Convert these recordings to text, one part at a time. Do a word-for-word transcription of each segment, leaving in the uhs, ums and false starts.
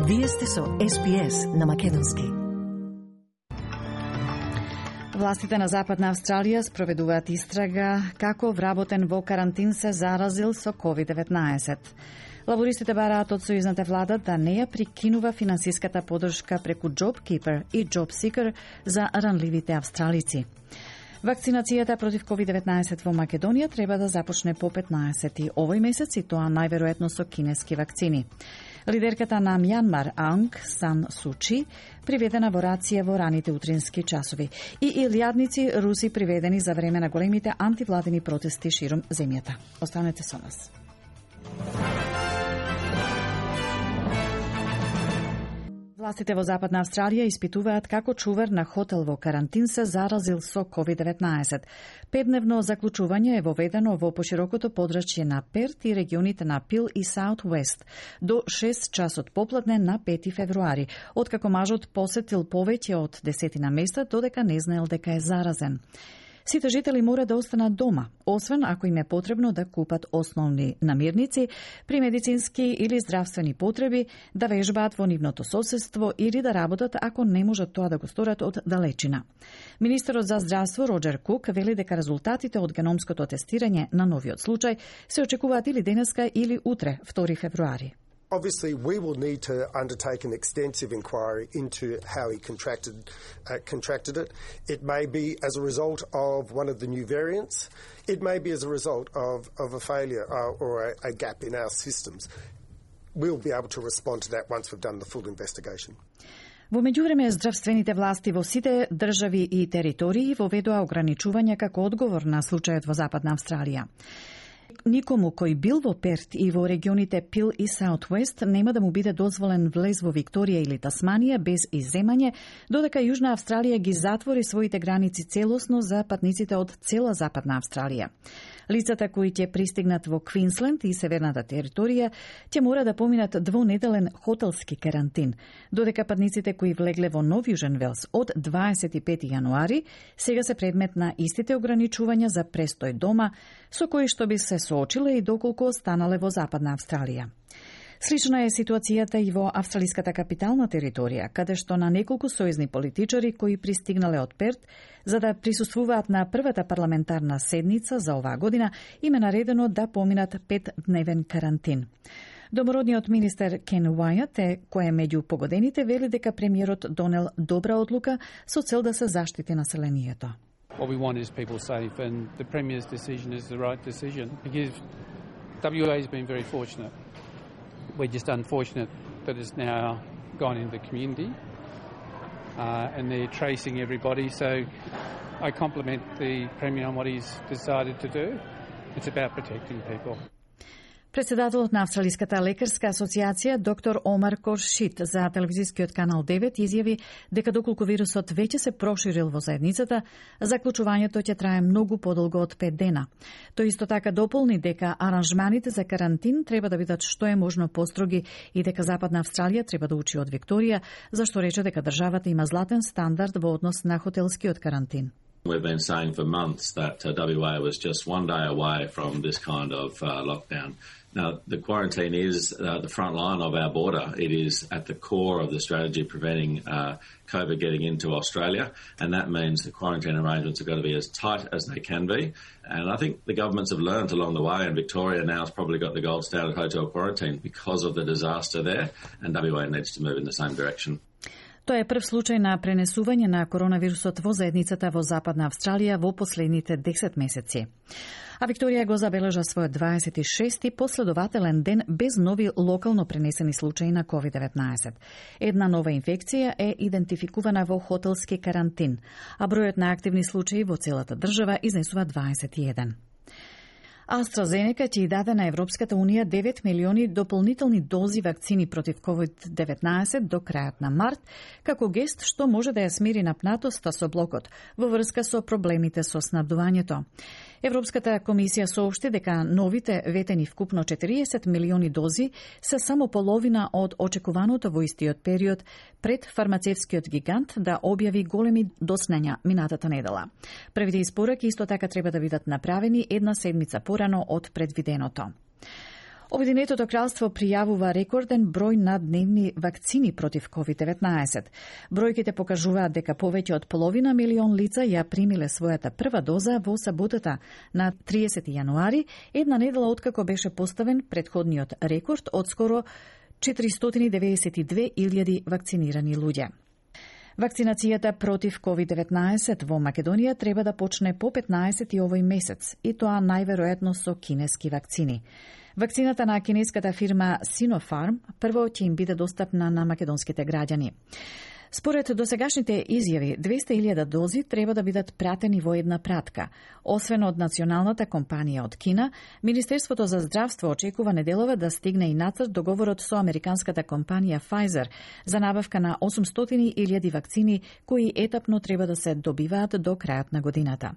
Вие сте со Ес Би Ес на македонски. Властите на Западна Австралија спроведуваат истрага како вработен во карантин се заразил со ковид деветнаесет. Лабористите бараат од сојузната влада да не ја прикинува финансиската подршка преку JobKeeper и JobSeeker за ранливите австралици. Вакцинацијата против ковид деветнаесет во Македонија треба да започне по петнаесети овој месец и тоа најверојатно со кинески вакцини. Лидерката на Мјанмар Аунг Сан Сучи приведена во рација во раните утрински часови и илјадници руси приведени за време на големите антивладени протести широм земјата. Останете со нас. Властите во Западна Австралија испитуваат како чувар на хотел во карантин се заразил со ковид деветнаесет. Петдневно заклучување е воведено во поширокото подрачје на Перт и регионите на Пил и Саут Уест до шест часот попладне на пети февруари, откако мажот посетил повеќе од десетина места додека не знаел дека е заразен. Сите жители мора да останат дома, освен ако им е потребно да купат основни намирници, при медицински или здравствени потреби, да вежбаат во нивното соседство или да работат ако не можат тоа да го сторат од далечина. Министерот за здравство Роџер Кук вели дека резултатите од геномското тестирање на новиот случај се очекуваат или денеска или утре, втори февруари. Obviously, we will need to undertake an extensive inquiry into how he contracted uh, contracted it. It may be as a result of one of the new variants. It may be as a result of, of a failure uh, or a, a gap in our systems. We'll be able to respond to that once we've done the full investigation. Во меѓувреме, здравствените власти во сите држави и територии воведоа ограничувања како одговор на случајот во Западна Австралија. Никому кој бил во Перт и во регионите Пил и Саут Уест нема да му биде дозволен влез во Викторија или Тасманија без изземање, додека Јужна Австралија ги затвори своите граници целосно за патниците од цела Западна Австралија. Лицата кои ќе пристигнат во Квинсленд и Северната територија ќе мора да поминат двонеделен хотелски карантин, додека патниците кои влегле во Нов Јужен Велс од дваесет и пети јануари сега се предмет на истите ограничувања за престој дома, со кои што би се соочиле и доколку останале во Западна Австралија. Слична е ситуацијата и во австралиската капитална територија, каде што на неколку сојузни политичари кои пристигнале од Перт за да присуствуваат на првата парламентарна седница за оваа година, им е наредено да поминат петдневен карантин. Домородниот министер Кен Уајат е кој е меѓу погодените вели дека премиерот донел добра одлука со цел да се заштити населението. What we want is people safe, and the Premier's decision is the right decision because W A has been very fortunate. We're just unfortunate that it's now gone into the community uh, and they're tracing everybody. So I compliment the Premier on what he's decided to do. It's about protecting people. Председателот на Австралиската лекарска асоциација доктор Омар Коршит за телевизискиот канал девет изјави дека доколку вирусот веќе се проширил во заедницата, заклучувањето ќе трае многу подолго од пет дена. Тој исто така дополни дека аранжманите за карантин треба да бидат што е можно построги и дека Западна Австралија треба да учи од Викторија, зашто рече дека државата има златен стандард во однос на хотелскиот карантин. We've been saying for months that uh, W A was just one day away from this kind of uh, lockdown. Now, the quarantine is uh, the front line of our border. It is at the core of the strategy preventing uh, COVID getting into Australia, and that means the quarantine arrangements have got to be as tight as they can be. And I think the governments have learned along the way, and Victoria now has probably got the gold standard hotel quarantine because of the disaster there, and W A needs to move in the same direction. Тоа е прв случај на пренесување на коронавирусот во заедницата во Западна Австралија во последните десет месеци. А Викторија го забележа својот дваесет и шести последователен ден без нови локално пренесени случаи на ковид деветнаесет. Една нова инфекција е идентификувана во хотелски карантин, а бројот на активни случаи во целата држава изнесува дваесет и еден. AstraZeneca ќе даде на Европската Унија девет милиони дополнителни дози вакцини против ковид деветнаесет до крајот на март, како гест што може да ја смири напнатоста со блокот во врска со проблемите со снабдувањето. Европската комисија соопшти дека новите ветени вкупно четириесет милиони дози се само половина од очекуваното во истиот период пред фармацевскиот гигант да објави големи доснења минатата недела. Првите испораки исто така треба да бидат направени една седмица порано од предвиденото. Обединетото кралство пријавува рекорден број на дневни вакцини против ковид деветнаесет. Бројките покажуваат дека повеќе од половина милион лица ја примиле својата прва доза во саботата на триесети јануари, една недела откако беше поставен претходниот рекорд од скоро четиристотини деведесет и две илјади вакцинирани луѓе. Вакцинацијата против ковид деветнаесет во Македонија треба да почне по петнаесети овој месец, и тоа најверојатно со кинески вакцини. Вакцината на кинеската фирма Sinopharm прво ќе им биде достапна на македонските граѓани. Според досегашните изјави, двесте илјади дози треба да бидат пратени во една пратка. Освен од националната компанија од Кина, Министерството за здравство очекува неделова да стигне и нацрт договорот со американската компанија Pfizer за набавка на осумстотини илјади вакцини кои етапно треба да се добиваат до крајот на годината.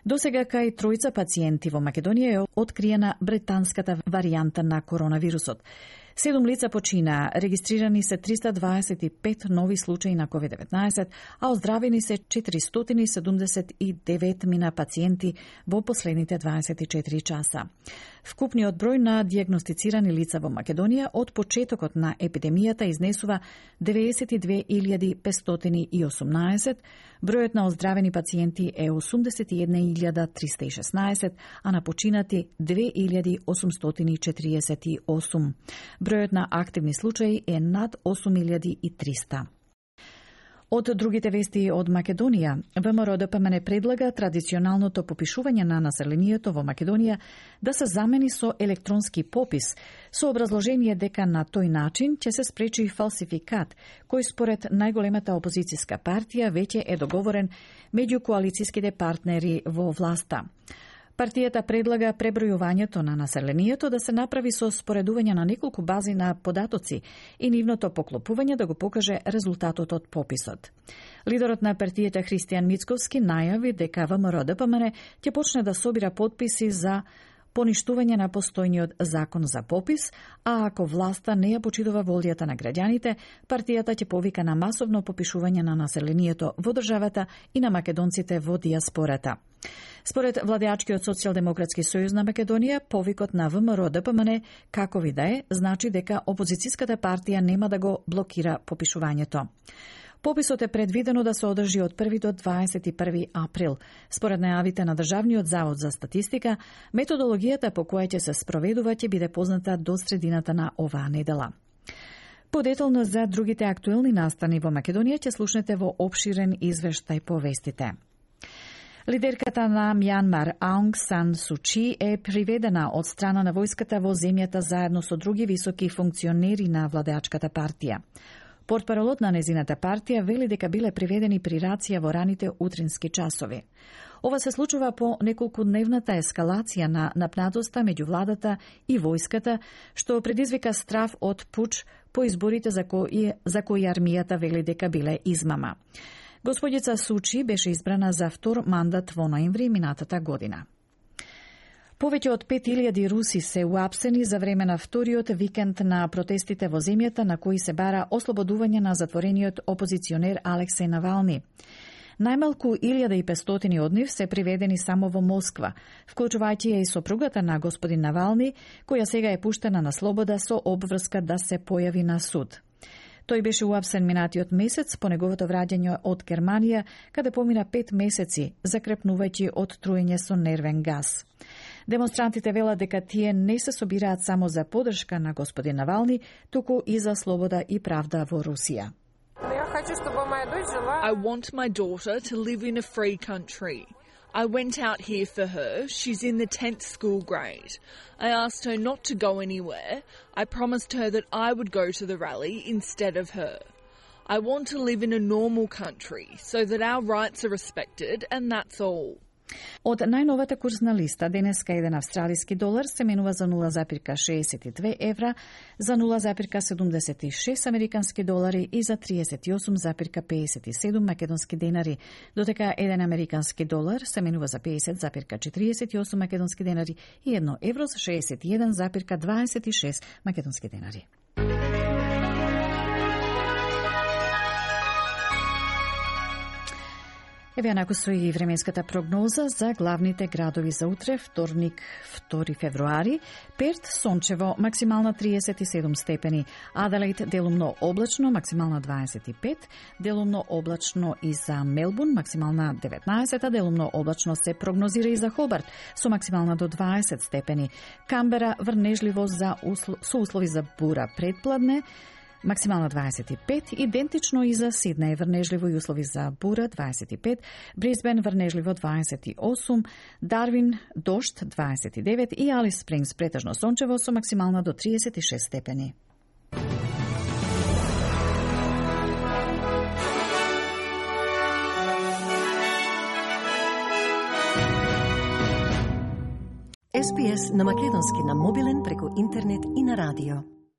Досега кај тројца пациенти во Македонија е откриена британската варијанта на коронавирусот. Седум лица почина, регистрирани се триста дваесет и пет нови случаи на ковид деветнаесет, а оздравени се четиристотини седумдесет и девет мина пациенти во последните дваесет и четири часа. Вкупниот број на дијагностицирани лица во Македонија од почетокот на епидемијата изнесува деведесет и две илјади петстотини и осумнаесет, бројот на оздравени пациенти е осумдесет и една илјада триста и шеснаесет, а на починати две илјади осумстотини и четириесет и осум. Бројот на активни случаи е над осум илјади и триста. Од другите вести од Македонија, ВМРО-ДПМН предлага традиционалното попишување на населението во Македонија да се замени со електронски попис, со образложение дека на тој начин ќе се спречи фалсификат, кој според најголемата опозицијска партија веќе е договорен меѓу коалицијските партнери во власта. Партијата предлага пребројувањето на населението да се направи со споредување на неколку бази на податоци и нивното поклопување да го покаже резултатот од пописот. Лидерот на партијата Христијан Мицковски најави дека ВМРО-ДПМН ќе почне да собира потписи за поништување на постојниот закон за попис, а ако власта не ја почитува волјата на граѓаните, партијата ќе повика на масовно попишување на населението во државата и на македонците во дијаспората. Според владеачкиот Социјалдемократски сојуз на Македонија, повикот на ВМРО-ДПМН, какови да е, значи дека опозицијската партија нема да го блокира попишувањето. Пописот е предвидено да се одржи од први до дваесет и први април. Според најавите на Државниот завод за статистика, методологијата по која ќе се спроведува ќе биде позната до средината на оваа недела. Подетално за другите актуелни настани во Македонија ќе слушнете во опширен извештај по вестите. Лидерката на Мјанмар Аунг Сан Су Чи е приведена од страна на војската во земјата заедно со други високи функционери на владеачката партија. Портпаролот на незината партија вели дека биле приведени при рација во раните утрински часови. Ова се случува по неколкудневната ескалација на напнатоста меѓу владата и војската, што предизвика страв од пуч по изборите за кои, за кои армијата вели дека биле измама. Господица Сучи беше избрана за втор мандат во ноември минатата година. Повеќе од пет илјади руси се уапсени за време на вториот викенд на протестите во земјата на кои се бара ослободување на затворениот опозиционер Алексеј Навални. Најмалку илјада и петстотини од нив се приведени само во Москва, вклучувајќи ја и сопругата на господин Навални, која сега е пуштена на слобода со обврска да се појави на суд. Тој беше уапсен минатиот месец по неговото враќање од Германија, каде помина пет месеци, закрепнувајќи од труење со нервен газ. Демонстрантите велат дека тие не се собираат само за поддршка на господин Навални, туку и за слобода и правда во Русија. I want my daughter to live in a free country. I went out here for her. She's in the tenth school grade. I asked her not to go anywhere. I promised her that I would go to the rally instead of her. I want to live in a normal country so that our rights are respected, and that's all. Од најновата курсна листа, денеска еден австралиски долар се менува за нула запирка шеесет и две евра, за нула запирка седумдесет и шест американски долари и за триесет и осум запирка пеесет и седум македонски денари, додека еден американски долар се менува за пеесет запирка четириесет и осум македонски денари и едно евро за шеесет и еден запирка дваесет и шест македонски денари. Еве наку стои и временската прогноза за главните градови за утре, вторник, втори февруари. Перт сончево, максимална триесет и седум степени. Аделаид делумно облачно, максимална дваесет и пет. Делумно облачно и за Мелбурн, максимална деветнаесет, а делумно облачно се прогнозира и за Хобарт, со максимална до дваесет степени. Камбера врнежливо за услов, со услови за бура предпладне, максимална дваесет и пет, идентично и за Сиднеј, врнежливо и услови за бура дваесет и пет, Брисбен врнежливо дваесет и осум, Дарвин дожд дваесет и девет и Алис Спрингс претежно сончево со максимална до триесет и шест степени. Ес Би Ес на македонски на мобилен преку интернет и на радио.